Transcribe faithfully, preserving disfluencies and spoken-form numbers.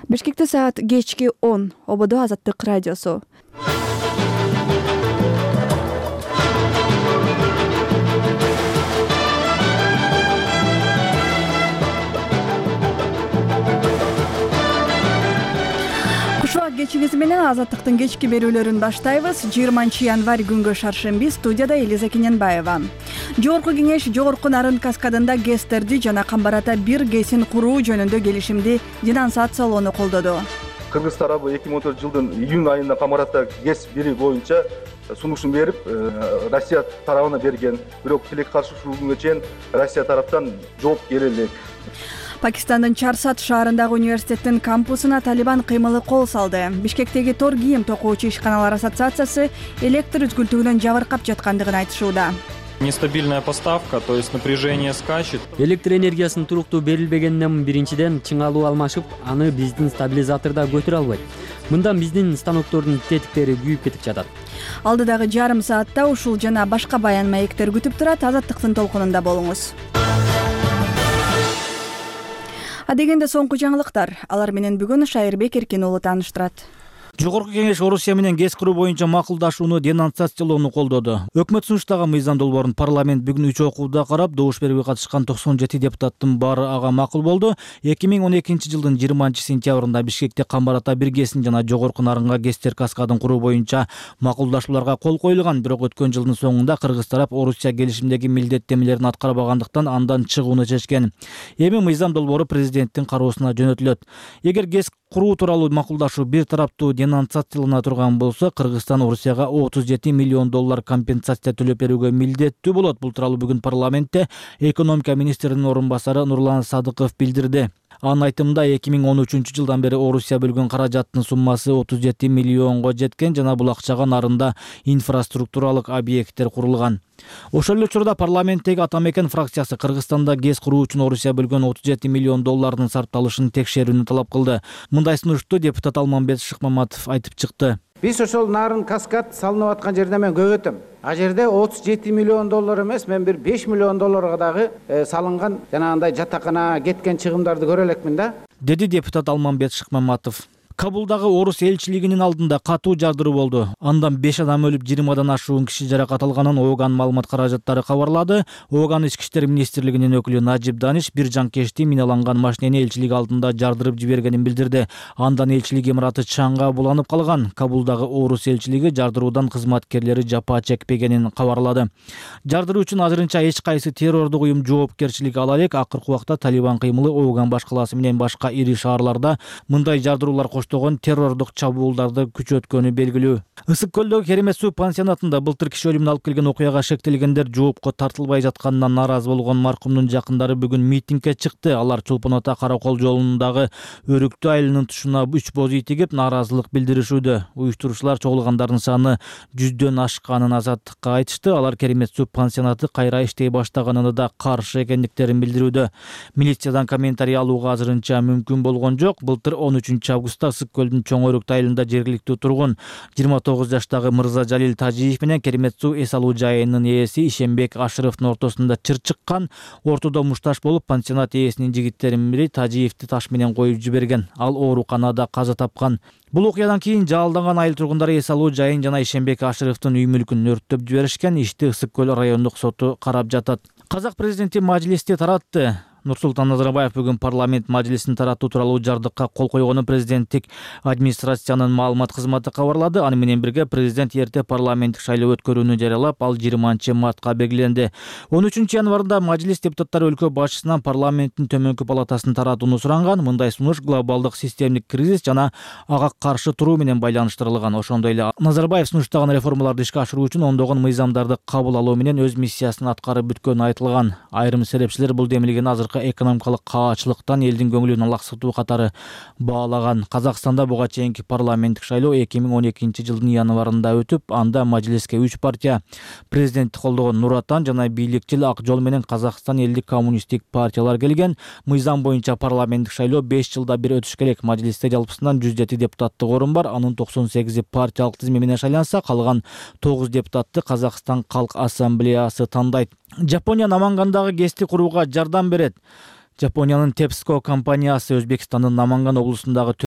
Бишкекте саат кечки он. Ободо Азаттык радиосу. Кушуак кечиңиз менен Азаттыктын кечки берүүлөрүн баштайбыз. жыйырманчы январь күнгө шаршемби. Студияда Элиза Кененбаева. Жогорку кеңеш Жогорку Нарын каскадында ГЭСтерди жана Камбарата бир ГЭСин куруу жөнүндө келишимди денонсациялоону колдоду. Кыргыз тарабы эки миң он төртүнчү жылдын июнь айында Камбарата ГЭС бири боюнча сунушун берип, Россия тарабына берген. Бирок тилекке каршы ушул күнгө чейин Россия тараптан жооп келе элек. Пакистандын Чарсат шаарындагы университеттин кампусуна Талибан кыймылы кол салды. Бишкектеги тор кийим токуучу ишканалар ассоциациясы электр үзгүлтүгүнөн жабыркап жаткандыгын айтышууда. Нестабильная поставка, то есть напряжение скачет. Электр энергиясынын туруктуу берилбегенинен биринчиден чыңалуу алмашып, аны биздин стабилизаторда көтөрө албайт. Мындан биздин станоктордун тетиктери күйүп кетип жатат. Алдыдагы жарым саатта ушул жана башка баян маектер күтүп турат. Азаттыктын толкунунда болуңуз. Адегенде соңку жаңылыктар. Алар менен бүгүн Шайырбек Эркин уулу тааныштырат. Жогорку кеңеш Орусия менен ГЭС куруу боюнча макулдашууну денонсациялоону колдоду. Өкмөт сунуштаган мыйзам долбоорун парламент бүгүн үч окууда карап, добуш берүүгө катышкан токсон жети депутаттын баары ага макул болду. эки миң он экинчи жылдын жыйырманчы сентябрында Бишкекте Камбарата бир ГЭСин жана Жогорку Нарынга ГЭСтер каскадын куруу боюнча макулдашууларга кол коюлган. Бирок өткөн жылдын соңунда кыргыз тарап Орусия келишимдеги милдеттенмелерин аткарбагандыктан андан чыгууну чечкен. Эми мыйзам долбоору президенттин кароосуна жөнөтүлөт. Эгер ГЭС куруу тууралуу макулдашуу бир тараптуу денонсациялана турган болсо, Кыргызстан Орусияга отуз жети миллион доллар компенсация төлөп берүүгө милдеттүү болот. Бул тууралуу бүгүн парламентте экономика министринин орун басары Нурлан Садыков билдирди. Анын айтымында эки миң он үчүнчү жылдан бери Орусия бөлгөн каражаттын суммасы отуз жети миллионго жеткен жана бул акчага Нарында инфраструктуралык объекттер курулган. Ошол эле учурда парламенттеги Атамекен фракциясы Кыргызстанда ГЭС куруу үчүн Орусия бөлгөн отуз жети миллион доллардын сарпталышын текшерүүнү талап кылды. Мындай сунушту депутат Алмамбет Шыкмаматов айтып чыкты. Биз ошол Нарын каскад салынып аткан жерде мен көп өтөм. А жерде отуз жети миллион доллар эмес, мен бир беш миллион долларга дагы салынган жанагындай жатакана кеткен чыгымдарды көрө элекмин да, деди депутат Алмамбет Шыкмаматов. Кабулдагы орус элчилигинин алдында катуу жардыруу болду. Андан беш адам өлүп, жыйырмадан ашуун киши жаракат алганын ООГ маалымат каражаттары кабарлады. ООГ ички иштер министрлигинин өкүлү Нажип Даниш бир жанкечти миналанган машинени элчилик алдында жардырып жибергенин билдирди. Андан элчилик имараты чаңга буланып калган. Кабулдагы орус элчилиги жардыруудан кызматкерлери жапа чекпегенин кабарлады. Жардыруу үчүн азырынча эч кайсы террордук уюм жоопкерчилик ала элек. Акыркы убакта Талибан кыймылы ООГ башкаласы менен башка ири шаарларда мындай жардыруулар террордук чабуулдарды күчөткөнү белгилүү. Ысык көлдөгү Керемет суу пансионатында былтыр киши өлүмүн алып келген окуяга шектелгендер жоопко тартылбай жатканынан нааразы болгон маркумдун жакындары бүгүн митингге чыкты. Алар Чолпон Ата Каракол жолундагы Өрүктүү айылынын тушуна үч боз үй тигип нааразылык билдиришүүдө. Уюштуруучулар чогулгандардын саны жүздөн ашканын Азаттыкка айтышты. Алар Керемет суу пансионаты кайра иштей баштаганына да каршы экендиктерин билдирүүдө. Милициядан комментарий алууга азырынча мүмкүн болгон жок. Былтыр он үчүнчү августта Ысык көлдүн Чоң Өрүктүү айылында жергиликтүү тургун жыйырма тогуз жаштагы Мырза Жалил Тажиев менен Керемет суу эс алуу жайынын ээси Ишенбек Ашыровдун ортосунда чыр чыккан. Ортодо мушташ болуп, пансионат ээсинин жигиттеринин бири Тажиевди таш менен коюп жиберген. Ал ооруканада каза тапкан. Бул окуядан кийин жалданган айыл тургундары эс алуу жайын жана Ишенбек Ашыровдун үй мүлкүн өрттөп жиберишкен. Ишти Ысык көл райондук соту карап жатат. Казак президенти мажлисте таратты. Нурсултан Назарбаев бүгүн парламент мажлисин таратуу тууралуу жардыкка кол койгонун президенттик администрациянын маалымат кызматы кабарлады. Аны менен бирге президент эрте парламенттик шайлоо өткөрүүнү жарыялап, ал жыйырманчы мартка белгиленди. он үчүнчү январда мажлис депутаттары өлкө башчысынан парламенттин төмөнкү палатасын таратууну суранган. Мындай сунуш глобалдык системдик кризис жана ага каршы туруу менен байланыштырылган. Ошондой эле Назарбаев сунуштаган реформаларды ишке ашыруу үчүн ондогон мыйзамдарды кабыл алуу менен өз миссиясын аткарып бүткөнү айтылган. Айрым серепчилер бул демилген азыркы экономикалык каачылыктан элдин көңүлүн алаксытуу катары баалаган. Казакстанда буга чейинки парламенттик шайлоо эки миң он экинчи жылдын январында өтүп, анда мажлиске үч партия президентти колдогон Нур Отан жана бийликчил Ак жол менен Казакстан элдик коммунисттик партиялар келген. Мыйзам боюнча парламенттик шайлоо беш жылда бир өтүш керек. Мажлисте жалпысынан жүз жети депутаттык орун бар. Анын токсон сегизи партиялык тизме менен шайланса, калган тогуз депутатты Казакстан Калк ассамблеясы тандайт. Жапония Намангандагы ГЭСти курууга жардам берет. Жапониянын Тепско компаниясы Өзбекстандын Наманган облусундагы